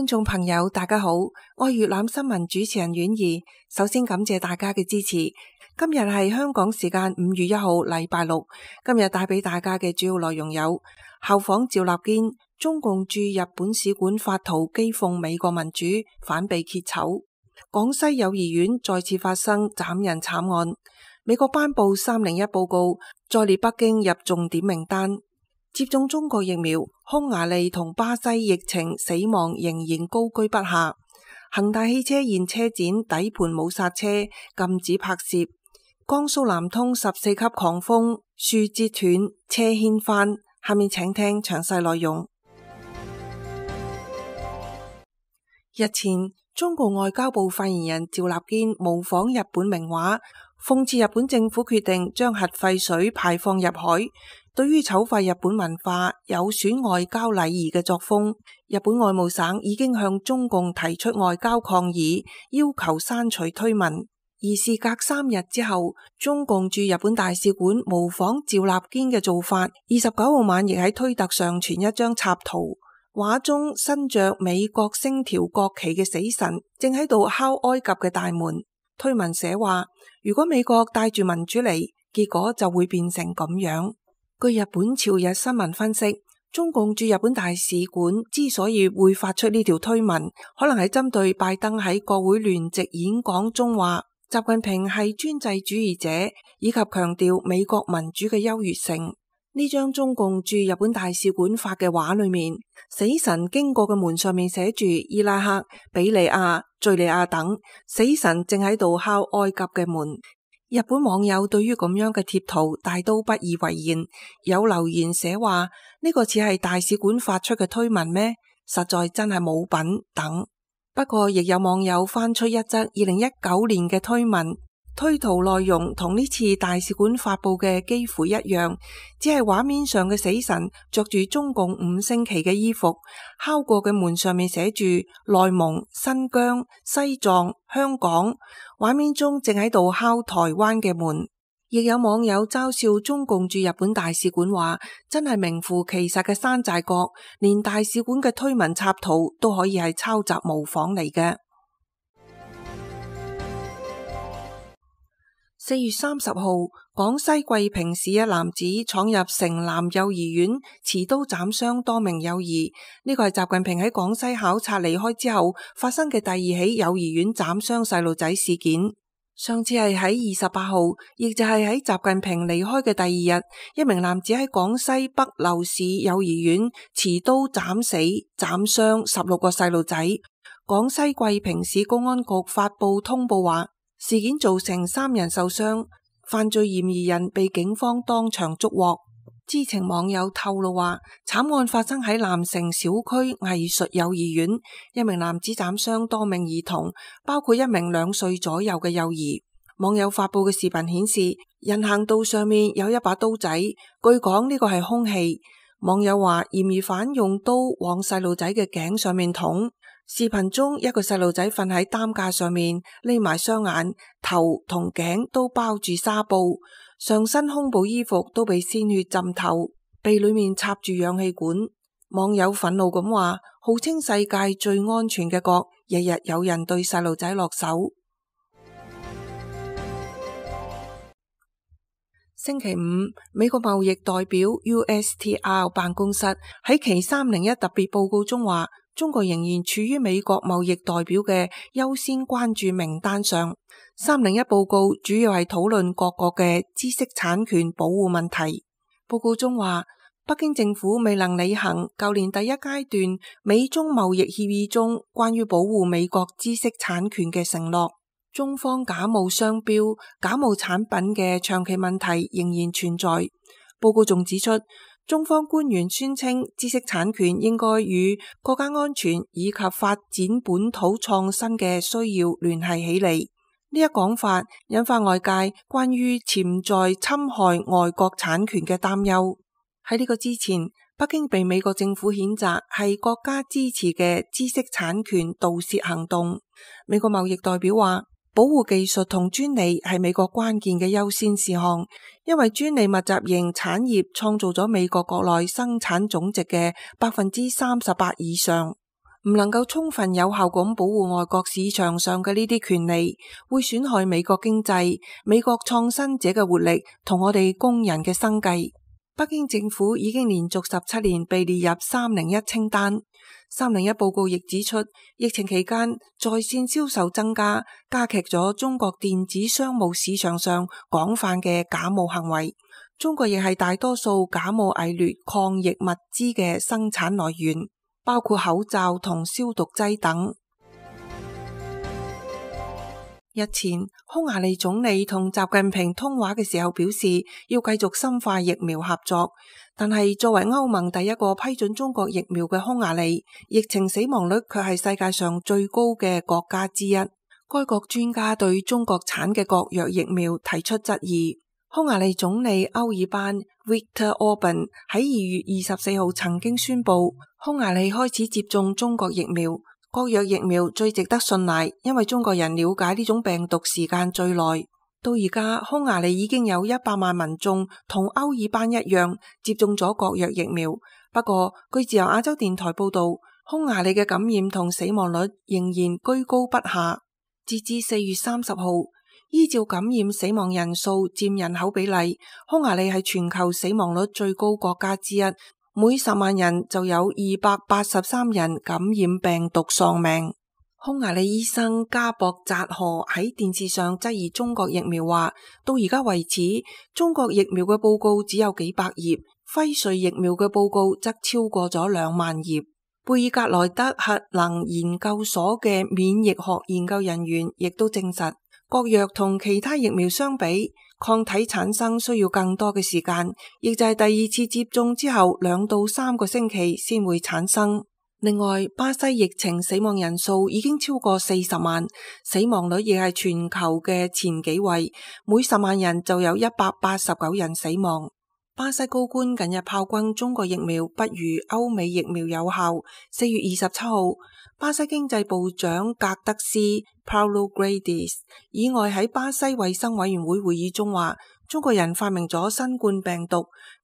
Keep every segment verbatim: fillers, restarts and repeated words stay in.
觀眾朋友大家好，我係粵覽新聞主持人婉儀。首先感謝大家嘅支持。今日係香港時間五月一號禮拜六，今日帶俾大家嘅主要內容有：效仿趙立堅，中共駐日本使館發圖譏諷美國民主，反被揭醜；廣西幼兒園再次發生斬人慘案；美國頒布三零一報告，再列北京入重點名單；接種中國疫苗，匈牙利同巴西疫情死亡仍然高居不下；恒大汽車現車展底盤冇剎車，禁止拍攝；江蘇南通十四級狂風，樹折斷，車掀翻。下面請聽詳細內容。日前，中國外交部發言人趙立堅模仿日本名畫，諷刺日本政府決定將核廢水排放入海，對於醜化日本文化、有損外交禮儀嘅作風，日本外務省已經向中共提出外交抗議，要求刪除推文。而事隔三日之後，中共駐日本大使館模仿趙立堅嘅做法，二十九號晚亦喺推特上傳一張插圖，畫中身着美國星條國旗嘅死神正喺度敲埃及嘅大門。推文寫話：如果美國帶住民主嚟，結果就會變成咁樣。據日本朝日新聞分析，中共駐日本大使館之所以會發出呢條推文，可能係針對拜登喺國會聯席演講中話習近平係專制主義者，以及強調美國民主嘅優越性。呢張中共駐日本大使館發嘅畫裏面，死神經過嘅門上面寫住伊拉克、比利亞、敘利亞等，死神正喺度敲埃及嘅門。日本網友對於咁樣嘅貼圖大都不以為然，有留言寫話呢個似係大使館發出嘅推文咩？實在真係冇品等。不過亦有網友翻出一則二零一九年嘅推文，推圖內容同呢次大使館發佈嘅幾乎一樣，只係畫面上嘅死神着住中共五星旗嘅衣服，敲過嘅門上面寫住內蒙、新疆、西藏、香港，畫面中正喺度敲台灣嘅門。亦有網友嘲笑中共駐日本大使館話，真係名副其實嘅山寨國，連大使館嘅推文插圖都可以係抄襲模仿嚟嘅。四月三十號，廣西桂平市一男子闖入城南幼兒園，持刀斬傷多名幼兒。呢個係習近平喺廣西考察離開之後發生嘅第二起幼兒園斬傷細路仔事件。上次係喺二十八號，亦就係喺習近平離開嘅第二日，一名男子喺廣西北流市幼兒園持刀斬死、斬傷十六個細路仔。廣西桂平市公安局發布通報話，事件造成三人受傷，犯罪嫌疑人被警方當場捉獲。知情網友透露話，慘案發生喺南城小區藝術幼兒園，一名男子斬傷多名兒童，包括一名兩歲左右嘅幼兒。網友發布嘅視頻顯示，人行道上面有一把刀仔，據講呢個係兇器。網友話，嫌疑犯用刀往細路仔嘅頸上面捅。視頻中一個細路仔瞓喺擔架上面，匿埋雙眼，頭同頸都包住紗布，上身胸部衣服都被鮮血浸透，鼻裏面插住氧氣管。網友憤怒咁話，號稱世界最安全嘅國，日日有人對細路仔落手。星期五，美國貿易代表 U S T R 辦公室喺其三零一特別報告中話，中國仍然處於美國貿易代表嘅優先關注名單上。三零一報告主要係討論各國嘅知識產權保護問題。報告中話，北京政府未能履行舊年第一階段美中貿易協議中關於保護美國知識產權嘅承諾。中方假冒商標、假冒產品嘅長期問題仍然存在。報告仲指出，中方官員宣稱知識產權應該與國家安全以及發展本土創新嘅需要聯繫起嚟。呢一講法引發外界關於潛在侵害外國產權嘅擔憂。喺呢個之前，北京被美國政府譴責係國家支持嘅知識產權盜竊行動。美國貿易代表話，保護技術同專利係美國關鍵嘅優先事項，因為專利密集型產業創造咗美國國內生產總值嘅百分之三十八以上。唔能夠充分有效咁保護外國市場上嘅呢啲權利，會損害美國經濟、美國創新者嘅活力同我哋工人嘅生計。北京政府已經連續十七年被列入三零一清單。三零一報告亦指出，疫情期間在線銷售增加，加劇咗中國電子商務市場上廣泛嘅假冒行為。中國亦係大多數假冒偽劣抗疫物資嘅生產來源，包括口罩同消毒劑等。日前，匈牙利總理同習近平通話嘅時候表示，要繼續深化疫苗合作。但係作為歐盟第一個批准中國疫苗嘅匈牙利，疫情死亡率卻係世界上最高嘅國家之一。該國專家對中國產嘅國藥疫苗提出質疑。匈牙利總理歐爾班 Viktor Orban 喺二月二十四號曾經宣布，匈牙利開始接種中國疫苗。國藥疫苗最值得信賴，因為中國人了解呢種病毒時間最耐。到而家，匈牙利已經有一百萬民眾同歐爾班一樣接種咗國藥疫苗。不過，據自由亞洲電台報道，匈牙利嘅感染同死亡率仍然居高不下。截至四月三十號，依照感染死亡人數佔人口比例，匈牙利係全球死亡率最高國家之一。每十萬人就有二百八十三人感染病毒喪命。匈牙利醫生加博扎荷喺電視上質疑中國疫苗話，到而家為止，中國疫苗嘅報告只有幾百頁，輝瑞疫苗嘅報告則超過咗兩萬頁。貝爾格萊德核能研究所嘅免疫學研究人員亦都證實，國藥同其他疫苗相比，抗體產生需要更多嘅時間，亦就係第二次接種之後兩到三個星期先會產生。另外，巴西疫情死亡人數已經超過四十萬，死亡率亦係全球嘅前幾位，每十萬人就有一百八十九人死亡。巴西高官近日炮轟中國疫苗不如歐美疫苗有效。四月二十七號，巴西經濟部長格德斯 Paulo Guedes 以外喺巴西衛生委員會會議中話，中國人發明咗新冠病毒，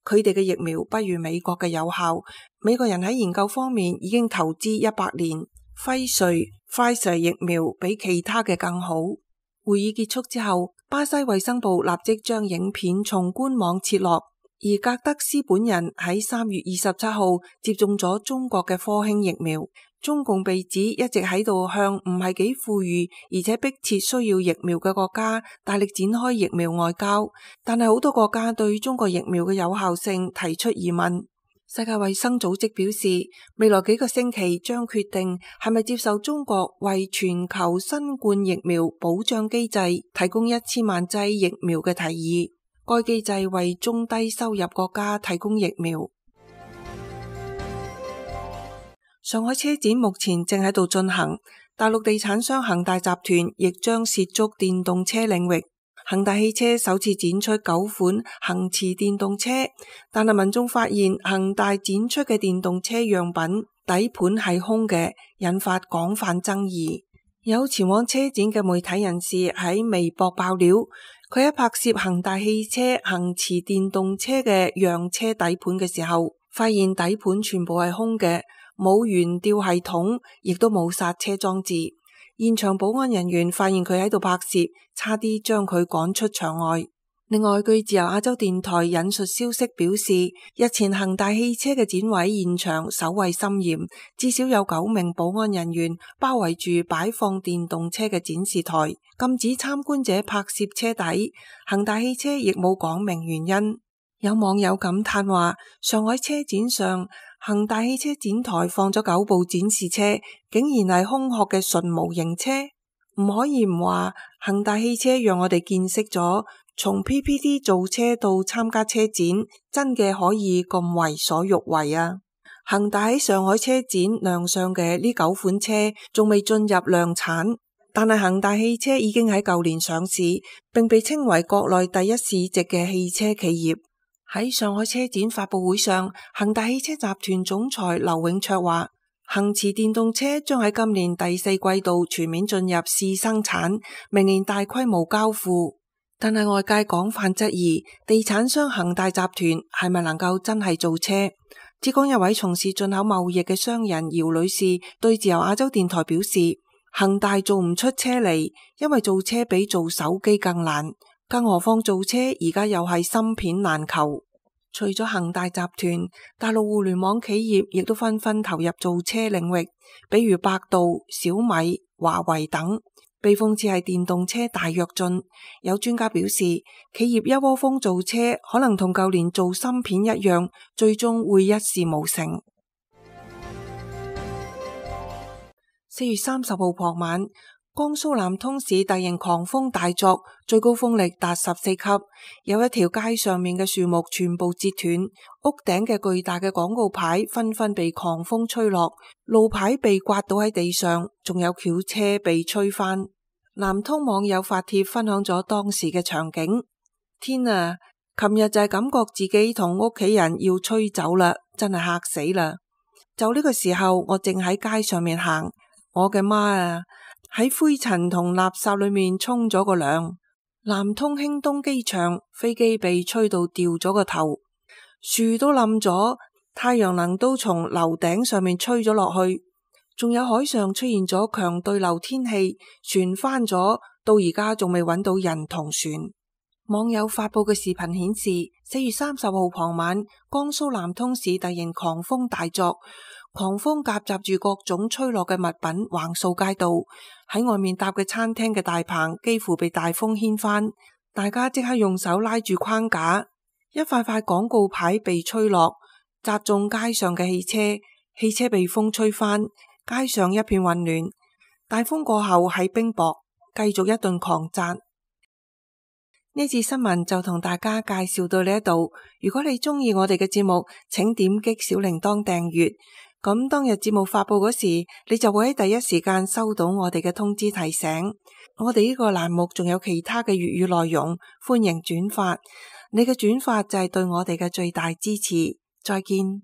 佢哋嘅疫苗不如美國嘅有效。美國人喺研究方面已經投資一百年，輝瑞 Pfizer 疫苗比其他嘅更好。會議結束之後，巴西衛生部立即將影片從官網撤落。而格德斯本人喺三月二十七號接種咗中國嘅科興疫苗。中共被指一直喺度向唔係幾富裕而且迫切需要疫苗嘅國家大力展開疫苗外交，但係好多國家對中國疫苗嘅有效性提出疑問。世界衛生組織表示，未來幾個星期將決定係咪接受中國為全球新冠疫苗保障機制提供一千萬劑疫苗嘅提議。該機制為中低收入國家提供疫苗。上海車展目前正喺度進行，大陸地產商恒大集團亦將涉足電動車領域。恒大汽車首次展出九款恆馳電動車，但係民眾發現恒大展出嘅電動車樣品底盤係空嘅，引發廣泛爭議。有前往車展嘅媒體人士喺微博爆料，佢喺拍攝恒大汽車恆馳電動車嘅樣車底盤嘅時候，發現底盤全部係空嘅，冇懸吊系統，亦都冇剎車裝置。現場保安人員發現佢喺度拍攝，差啲將佢趕出場外。另外，據自由亞洲電台引述消息表示，日前恒大汽車嘅展位現場守衛森嚴，至少有九名保安人員包圍住擺放電動車嘅展示台，禁止參觀者拍攝車底。恒大汽車亦冇講明原因。有網友感嘆話，上海車展上恒大汽車展台放咗九部展示車，竟然係空殼嘅純模型車。唔可以唔話恒大汽車讓我哋見識咗從 P P T 造車到參加車展，真嘅可以咁為所欲為啊！恒大喺上海車展亮相嘅呢九款車仲未進入量產，但係恒大汽車已經喺舊年上市，並被稱為國內第一市值嘅汽車企業。喺上海車展發佈會上，恒大汽車集團總裁劉永灼話，恆馳電動車將喺今年第四季度全面進入試生產，明年大規模交付。但係外界廣泛質疑，地產商恒大集團係咪能夠真係造車？浙江一位從事進口貿易嘅商人姚女士對自由亞洲電台表示，恒大做唔出車嚟，因為造車比做手機更難，更何況造車而家又係芯片難求。除咗恒大集團，大陸互聯網企業亦都紛紛投入造車領域，比如百度、小米、華為等。被諷刺係電動車大躍進，有專家表示，企業一窩蜂造車，可能同舊年做芯片一樣，最終會一事無成。四月三十號傍晚，江蘇南通市大型狂風大作，最高風力達十四級，有一條街上面嘅樹木全部折斷，屋頂嘅巨大嘅廣告牌紛紛被狂風吹落，路牌被刮倒喺地上，仲有轎車被吹翻。南通網友發帖分享咗當時嘅場景：天啊，琴日就係感覺自己同屋企人要吹走啦，真係嚇死啦！就呢個時候，我正喺街上面行，我嘅媽啊！喺灰塵同垃圾裏面沖咗個涼。南通興東機場飛機被吹到掉咗個頭，樹都冧咗，太陽能都從樓頂上面吹咗落去，仲有海上出現咗強對流天氣，船翻咗，到而家仲未揾到人同船。網友發布嘅視頻顯示，四月三十號傍晚，江蘇南通市突然狂風大作，狂風夾雜住各種吹落嘅物品橫掃街道，喺外面搭嘅餐廳嘅大棚幾乎被大風掀翻，大家即刻用手拉住框架，一塊塊廣告牌被吹落，砸中街上嘅汽車，汽車被風吹翻，街上一片混亂。大風過後係冰雹，繼續一頓狂砸。呢次新聞就同大家介紹到呢一度。如果你中意我哋嘅節目，請點擊小鈴鐺訂閱。咁當日節目發布嗰時，你就會喺第一時間收到我哋嘅通知提醒。我哋呢個欄目仲有其他嘅粵語內容，歡迎轉發。你嘅轉發就係對我哋嘅最大支持。再見。